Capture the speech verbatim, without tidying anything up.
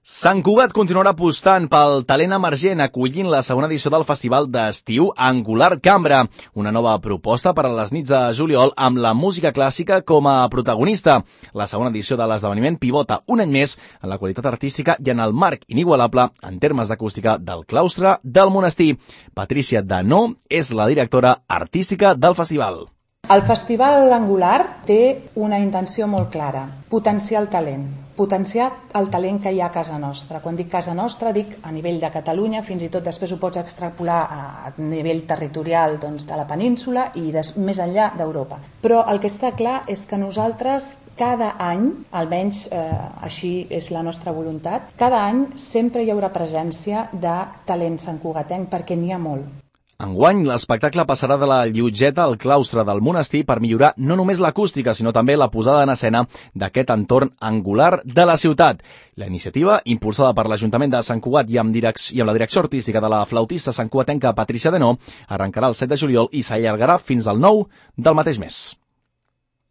Sant Cugat continuarà apostant pel talent emergent, acollint la segona edició del Festival d'Estiu Angular Cambra, una nova proposta per a les nits de juliol amb la música clàssica com a protagonista. La segona edició de l'esdeveniment pivota un any més en la qualitat artística i en el marc inigualable en termes d'acústica del claustre del monestir. Patricia Danó és la directora artística del festival. El Festival Angular té una intenció molt clara: potenciar el talent. Potenciar el talent que hi ha a casa nostra. Quan dic casa nostra, dic a nivell de Catalunya, fins i tot després ho pots extrapolar a nivell territorial, doncs, de la península i des, més enllà d'Europa. Però el que està clar és que nosaltres cada any, almenys eh, així és la nostra voluntat, cada any sempre hi haurà presència de talent santcugatenc, perquè n'hi ha molt. Enguany, l'espectacle passarà de la llotgeta al claustre del monestir per millorar no només l'acústica, sinó també la posada en escena d'aquest entorn angular de la ciutat. La iniciativa, impulsada per l'Ajuntament de Sant Cugat i amb, direc- i amb la direcció artística de la flautista santcugatenca Patricia Danó, arrencarà el set de juliol i s'allargarà fins al nou del mateix mes.